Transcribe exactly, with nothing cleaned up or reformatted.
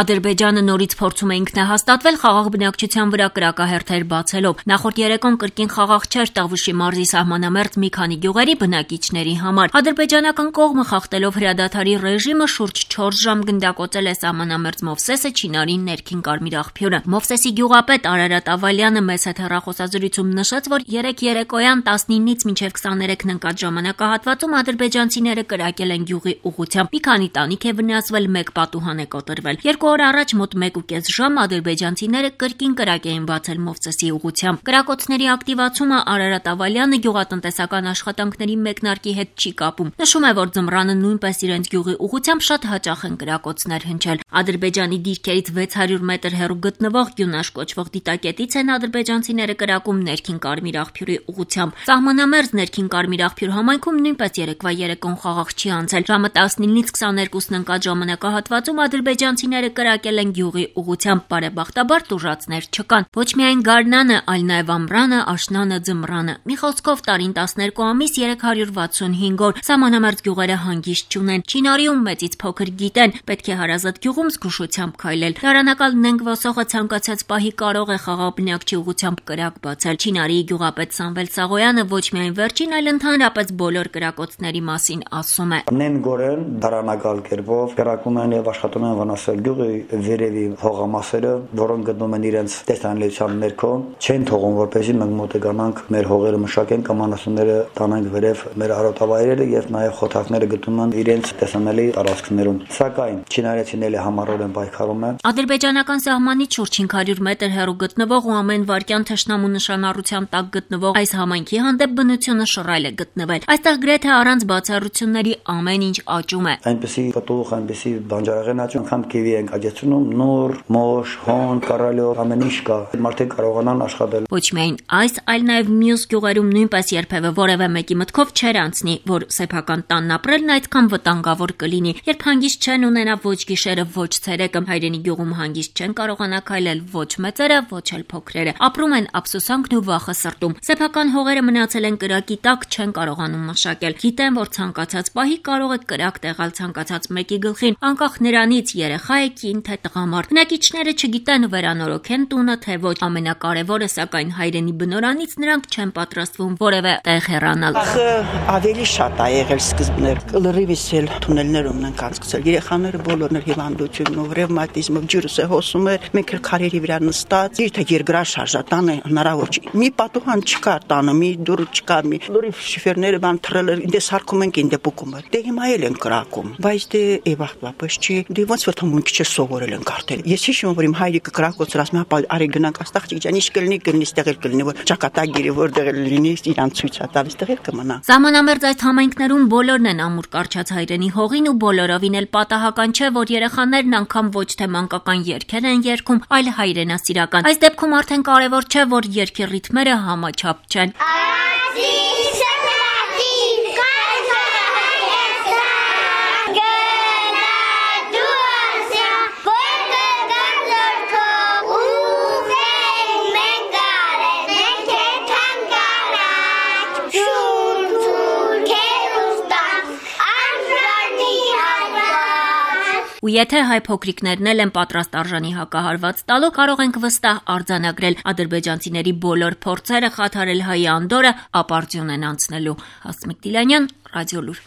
Ադրբեջանը նորից փորձում է ինքնահաստատվել խաղաղ բնակչության վրա կրակահերթեր բացելով։ Նախորդ երեկոն կրկին խաղաղ չէր Տավուշի մարզի սահմանամերձ մի քանի գյուղերի բնակիչների համար։ Ադրբեջանական կողմը խախտելով հրադադարի ռեժիմը շուրջ չորս ժամ գնդակոծել է սահմանամերձ Մովսեսը Չինարի ներքին Կարմիր աղբյուրը։ Մովսեսի գյուղապետ Արարատ Ավալյանը մեծ հետ հեռախոսազրույցում նշեց, որ երեկ երեկոյան տասնինից մինչև քսաներեքն ընկած ժամանակահատվածում ադրբեջանցիները կրակել են գյուղի ուղղությամբ։ Մի քանի տանիք է վնասվել, մեկ պատուհան է կոտրվել։ Երկու օր առաջ մոտ մեկ ու կես ժամ ադրբեջանցիները կրկին կրակ էին բացել Մովսեսի ուղղությամբ։ Կրակոցների ակտիվացումը Արարատ Ավալյանը գյուղատնտեսական աշխատանքների մեկնարկի հետ չի կապում։ Նշում է, որ ձմռանը նույնպես իրենց գյուղի ուղղությամբ շատ հաճախ են կրակոցներ հնչել։ Ադրբեջանի դիրքերից վեց հարյուր մետր հեռու գտնվող Գյունաշ կոչվող դիտակետից են ադրբեջանցիները կրակում ներքին Կարմիր աղբյուրի ուղղությամբ։ Սահմանամերձ ներքին Կարմիր աղբյուր համայնքում նույնպես երեկվա երեկոն խաղաղ չի անցել։ Ժամը տասնինից քսաներկուսն ընկած ժամանակահատվածում ադրբեջանցիները կրակել են գյուղի ուղղությամբ, բարեբախտաբար տուժածներ չկան։ Ոչ միայն Գարնանը, այլ նաև Ամռանը, Աշնանը, Ձմռանը։ Մի խոսքով տարին տասներկու ամիս երեք հարյուր վաթսունհինգ օր։ Սահմանամերձ գյուղերը հանգիստ չունեն։ Չինարիում մեծից փոքր գիտեն, պետք է հարազատ գյուղում զգուշությամբ քայլել։ Դարանակալ Նենք Ոսոխը ցանկացած պահի կարող է խաղաղ բնակչի ուղղությամբ կրակ բացել։ Չինարիի գյուղապետ Սամվել Սաղոյանը ոչ միայն վերջին, այլ ընդհանրապես բոլոր կրակոցների մասին ասում է. Նենգորեն դարանակալ կերպով կրակում են եւ աշխատում են վնասել գյուղի վերևի հողամասերը, որոնք գտնվում են իրենց տեսանելիության ներքո, չեն թողում, որպեսզի մենք մոտենանք մեր հողերը մշակեն կամ անասունները տանենք վերև մեր արոտավայրերը եւ նաեւ խոթակները գտնվում են իրենց տեսանելի տարածքներում։ Սակայն չինարեցիները համառորեն պայքարում են։ Ադրբեջանական սահմանից շուրջ հինգ հարյուր մետր հեռու գտնվող ու ամեն վայրկյան թշնամու նշանառության տակ գտնվող այս համայնքի հանդեպ բնությունը շռայլ է գտնվել։ Այստեղ գրեթե առանց բացառությունների ամեն ինչ աճում է։ Այնպեսի պտուղ, այնպեսի բանջարեղեն աճում, անգամ կիվի են աճեցնում, նոր, մոշ, հոն, կարալյոր, ամեն ինչ կա։ Մարդիկ կարողանան աշխատել։ Ոչ միայն այս, այլ նաև մյուս գյուղերում նույնպես երբևէ որևէ մեկի մտքով չէր անցնի, որ սեփական տանն ապրելն այդքան վտանգավոր կլինի, երբ հանգիստ չեն ունենա ոչ գիշերը, ոչ ցերեկը, հայրենի գյուղում հանգիստ չեն կարողանա քայլել ոչ մեծերը, ոչ էլ փոքրերը։ Ապրում են ափսոսանքն ու վախը սրտում։ Սեփական հողերը մնացել են կրակի տակ, չեն կարողանում մշակել։ Գիտեն, որ ցանկացած պահի կարող է կրակ տեղալ ցանկացած մեկի գլխին, անկախ նրանից երեխա է, կին թե տղամարդ։ Բնակիչները չգիտեն վերանորոգեն տունը, թե ոչ։ Ամենակարևորը, սակայն հայրենի բնորանից նրանք չեն պատրաստվում որևէ տեղ հեռանալ։ Ավելի շատ է եղել սկզբներ, լրիվից էլ թունելներում ենք անցկացել։ Երեխաները բոլորն էլ հիվանդությունով, ռևմատիզմով, ջուրս է հոսում էր, մենք էլ քարերի վրա նստած, իր երկրաշարժ տանը հնարավոր չի։ Մի պատուհան չկար տանը, մի դուռ չկար, մի լրիվ շիֆերները բան թռել էր, ինձ հարկում ենք ինձ պուկում էր։ Դե հիմա էլ են կրակում, բայց դե էվախտվապես չի, դե ոնց որ թվում քիչ սովորել են կարդել։ Ես հիշում եմ, որ իմ հայրիկը կրակոցր ասում է, արի գնանք աստղ ջան, ինչ կլինի, կլինի, ստեղ էլ կլինի, որ ճակատագիրը որտեղ էլ լինի, իրան ցույց է տալիս, ստեղ էլ կմնա։ Սահմանամերձ այս համայնքներում բոլորն են ամուր կարճած հայրենի հողին ու բոլորովին էլ պատահական չէ, որ երեխաներն անգամ ոչ թե մանկական երգեր են երգում, այլ հայրենասիրական։ Այս դեպքում արդեն կարևոր չէ, որ երգի ռիթմերը համաչափ չեն։ Ու եթե հայ փոքրիկներն էլ են պատրաստ արժանի հակահարված տալու, կարող ենք վստահ արձանագրել ադրբեջանցիների բոլոր փորձերը խաթարել հայի անդորը ապարդյուն են անցնելու։ Հասմիկ Դիլանյան, Ռադիոլուր։